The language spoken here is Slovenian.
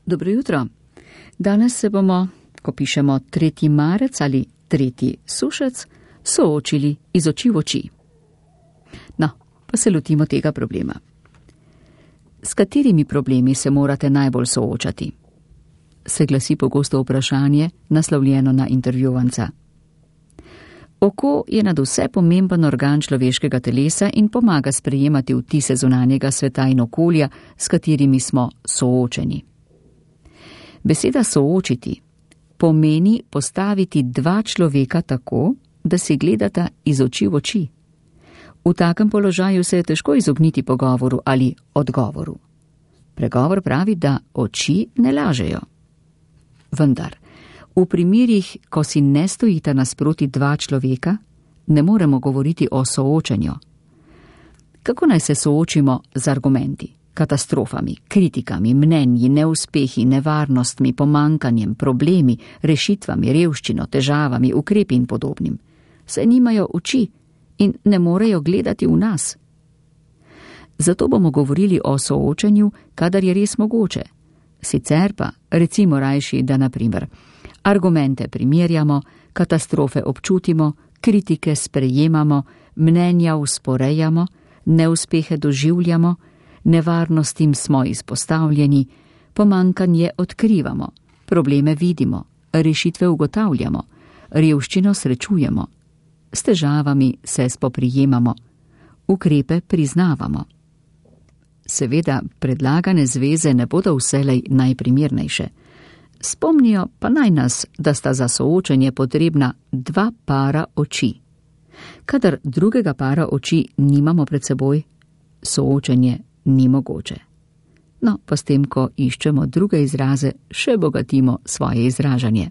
Dobro jutro. Danes se bomo, ko pišemo 3. marec ali 3. sušec, soočili iz oči v oči. No, pa se lotimo tega problema. S katerimi problemi se morate najbolj soočati? Se glasi pogosto vprašanje, naslovljeno na intervjuvanca. Oko je nadvse pomemben organ človeškega telesa in pomaga sprejemati vtise zunanjega sveta in okolja, s katerimi smo soočeni. Beseda soočiti pomeni postaviti dva človeka tako, da si gledata iz oči v oči. V takem položaju se je težko izogniti pogovoru ali odgovoru. Pregovor pravi, da oči ne lažejo. Vendar, v primerih, ko si ne stojita nasproti dva človeka, ne moremo govoriti o soočenju. Kako naj se soočimo z argumenti, katastrofami, kritikami, mnenji, neuspehi, nevarnostmi, pomankanjem, problemi, rešitvami, revščino, težavami, ukrepi in podobnim? Saj nimajo oči in ne morejo gledati v nas. Zato bomo govorili o soočenju, kadar je res mogoče. Sicer pa, recimo rajši, da na primer argumente primerjamo, katastrofe občutimo, kritike sprejemamo, mnenja usporejamo, neuspehe doživljamo, nevarnostim smo izpostavljeni, pomankanje odkrivamo, probleme vidimo, rešitve ugotavljamo, revščino srečujemo, s težavami se spoprijemamo, ukrepe priznavamo. Seveda, predlagane zveze ne bodo vselej najprimernejše. Spomnijo pa naj nas, da sta za soočenje potrebna dva para oči. Kadar drugega para oči nimamo pred seboj, soočenje ni mogoče. No, pa s tem, ko iščemo druge izraze, še bogatimo svoje izražanje.